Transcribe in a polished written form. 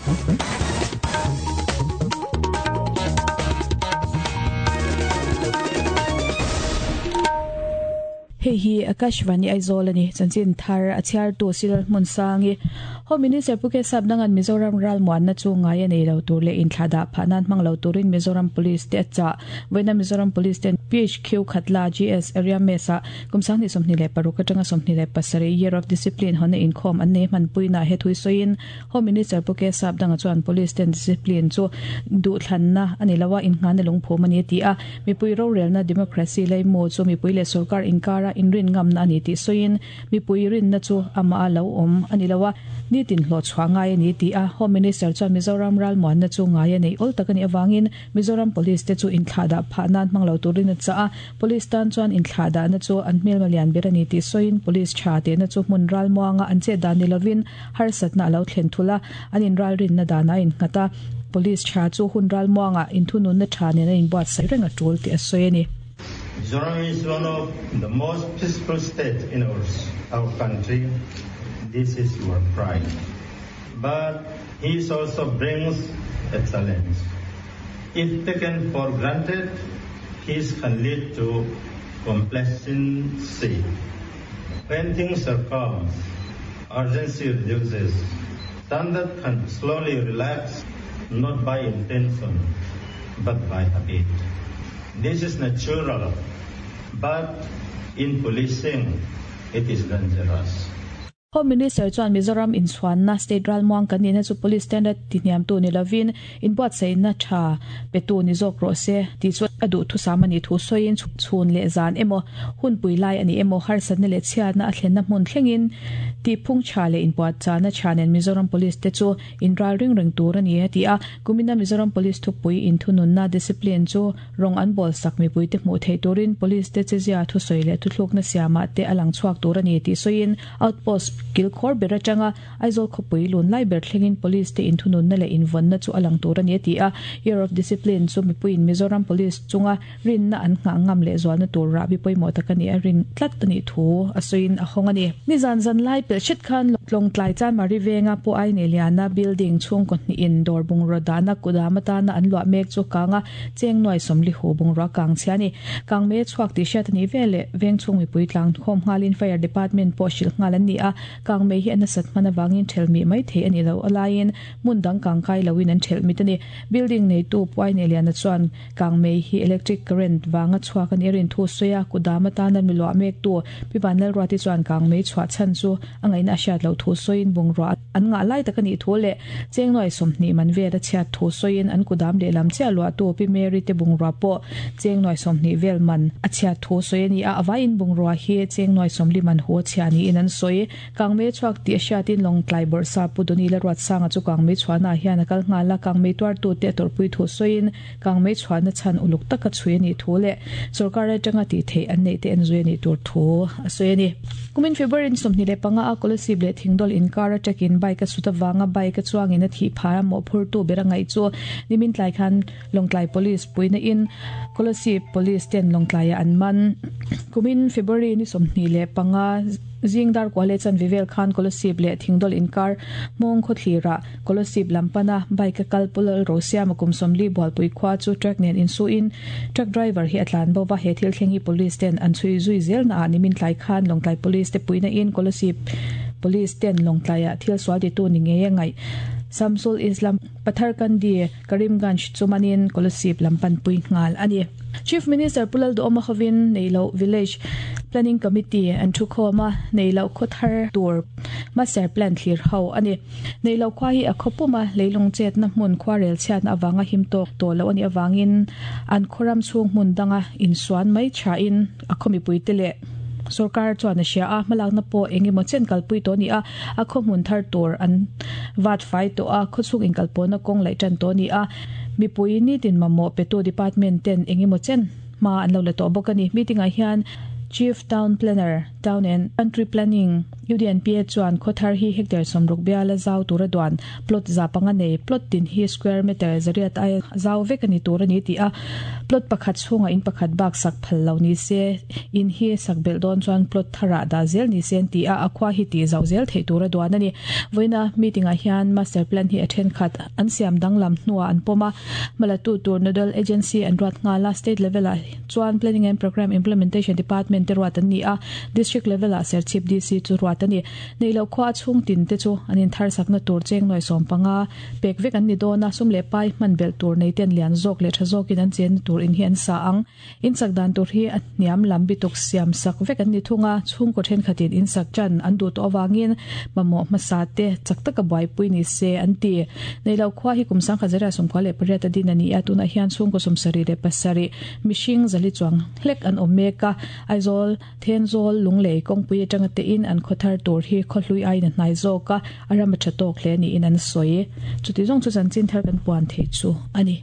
Hei hi Akashvani Aizawl a ni. Chanchin thar a chhiartu Cyril Hmunsangi. Home Minister Pu Kesap Dangan Mizoram ralmuanna chu ngai a nei lo tur leh inthlahdah phah nan hmang lo turin Mizoram Police te a chah. Vawiina Mizoram Police ten PHQ Khatla GS Area Mess ah Kum 2026 atanga 27 Year of Discipline hawnna inkhawm an nei hmanpuinaah he thui sawiin Home Minister Pu K Sapdanga chuan Police ten discipline chu duhthlanna a ni lo a, innghahna lungphum a ni a ti a. Mipui rorelna democracy leimu chu mipui leh sorkar inkara inrin ngamna a ni tih sawiin mipui rinna chu amah a lo awm a ni lo a, nitin hlawhchhuah ngai a ni a ti a. Home Minister chuan Mizoram ralmuanna chu ngai a neih awl tak a nih avangin Mizoram Police te chu inthlahdah phah nan hmang lo turin a chah a, Police tan chuan inthlahdahna chu an hmelma lian ber a ni tih sawiin Police tha tehna chu hmun ralmuanga an chet dan ni lovin harsatna a lo thlen thul a, an inralrinna danah a innghat a, Police tha chu hun ralmuanga inthununna tha nen an inbuatsaih reng a tul tih a sawi a ni. Mizoram is one of the most peaceful state in our our country, this is your pride. But peace also brings a challenge. If taken for granted, peace can lead to complacency. When things are calm, urgency reduces. Standard can slowly relax, not by intention, but by habit. This is natural, but in policing, it is dangerous. Home Minister chuan Mizoram inchhuanna state ralmuang kan nihna chu Police standard tihniamtu ni lovin inbuatsaihna tha petu ni zawk rawh se tih chu a duhthusam a nih thu sawiin chhun leh zan emaw hunpui lai a ni emaw harsatna leh chhiatna a thlenna hmun thlengin tihphung tha leh inpuahchahna tha nen Mizoram Police te chu inral ring reng tur a ni a ti a. Kumina Mizoram Police thupui inthununna discipline chu Rawng an bawl sak mipuite hmuh theih turin Police te chezia thusawi leh thuthlukna siamah te a lang chhuak tur a ni tih sawiin Outpost kilkhawr ber atanga Aizawl khawpui lun lai ber thlengin Police te inthununna leh invawnna chu a lang tur a ni a ti a. Year of Discipline chu mipuiin Mizoram Police chunga rinna an nghah ngam leh zualna tur rahbi pawimawh tak a nih a rin tlat a nih thu a sawiin a hawng a ni. Nizan zan lai pelh hret khan Lawngtlai Chanmari venga Pu Aine Liana building chhungkaw hnihin dawr bungraw dahna kudam atana an luah mek chu kang a, Cheng nuai sawmli hu bungrua kang chhia a ni. Kang mei a chhuak tih hriat a nih vel leh veng chhung mipui tlang khawm nghalin Fire Department pawh hrilh nghal an ni a, kang mei hi a nasat hman avangin thelh mih mai thei a ni lo. A laiin hmun dang kang kai loin an thelh mit a ni. Building neitu Puai Neliana chuan kang mei hi electric current vanga chhuak a nih a rin thu sawi a, kudam atana mi luah mektu Pi Vanlalruati chuan kang mei chhuah chhan chu a ngaihna a hriat loh thu sawiin bungrua an ngah lai tak a nih thu leh Chengnuai 20 man vel a chhiat thu sawiin an kudam lehlam chiah luahtu Pi Mary te bungrua pawh Chengnuai 20 vel man a chhiat thu sawi a ni a, a vaiin bungrua hi Chengnuai 40 man hu a chhiah niin an sawi. Kangmei chhuak tih a hriatin Lawngtlai bawrhsa Pu Doni la Ruatsanga chu kangmei chhuahnaah hian a kal nghal a, kangmei tuartute a tawrhpui thu sawiin kangmei chhuahna chhan uluk taka chhui a nih thu leh sorkar atanga tih theih an neih te en zui a nih tur thu a sawi a ni. Kumin February ni 25 a Kolasib leh Thingdawl inkar atangin bike a sut avanga bike a chuangin a thih phah a mawhphurtu ber a ngaih chu nimin tlai khan Lawngtlai Police puihna in Kolasib Police ten Lawngtlaiah an man. Kumin February ni 25 Zing dar kuah leh chanve vel khan Kolasib leh Thingdawl inkar hmawng khawthlirah Kolasib lam pana bike a kal Pu Lalrosiama kum 40 Bualpui khua chu truck nen insuhin truck driver hi a tlan bo va, he thil thleng hi Police ten an chhui zui zel naah nimin tlai khan Lawngtlai Police te puihna in Kolasib Police ten Lawngtlaiah thil sual titu ni ngei a ngaih Samsul Islam Patharkandi Karimganj chu manin Kolasib lam panpui nghal a ni. Chief Minister Pu Lalduhawma hovin Neihloh Village Planning Committee an thu khawm a, Neihloh khaw thar tur Master Plan thlir ho a ni. Neihloh khua hi a khaw pum a, leilung chetna hmun khuarel chhiatna avanga him tawk tawh loh a nih avangin an khaw ram chhung hmun danga insuan mai thain a khaw mipuite leh sorkar chuan a hria a, hmalakna pawh eng emaw chen kalpui tawh a ni a, a khaw hmun thar tur an vat fai tawh a, khawchhung inkalpawhna kawng laih tan tawh a ni a, mipui nitin mamawh petu department ten eng emaw chen hma an lo la tawh bawk a ni. Meeting ah hian. Chief Town Planner, Town and Country Planning, UDNPA chuan khawthar hi hectare 60 biala zau tura duan plot 500 nei plot tin hi square meter 800 aia zau vek a ni tur a ni tih a, plot pakhat chhungah in pakhat bak sak phal lo ni se, in hi sak belh dawn chuan plot tharah dah zel ni se an ti a, a khua hi tih zauh zel theih tura duan a ni. Vawiina meeting ah hian master plan hi a thenkhat an siam danglam hnuah an pawm a, hmalatu tur nodal agency an ruat nghal a, state level ah chuan Planning and Programme Implementation Department te ruat an ni a, District level ah Serchhip DC chu ruat a ni. Neihloh khua a chhung tin te chu an inthar sakna tur cheng nuai 15 pek vek an ni dawn a, sum leh pai hman belh tur nei ten lian zawk leh tha zawkin an chenna tur in hi an sa ang. In sak dan tur hi a hniam lam bituk siam sak vek an ni thung a, chhungkaw thenkhatin in sak tan an duh tawh avangin mamawh hmasa te chak taka buaipui ni se an ti. Neihloh khua hi kum 1998 a din a ni a, tunah hian chhungkaw 77 mihring zali chuang hlek an awm mek a, Aizawl, Thenzawl, Lunglei kawngpui atanga tein an khaw thar tur hi khawhlui aiin a hnai zawk a, a ram a tha tawk hle niin an sawi. Chuti zawng chu chanchin thar kan puan theih chu a ni.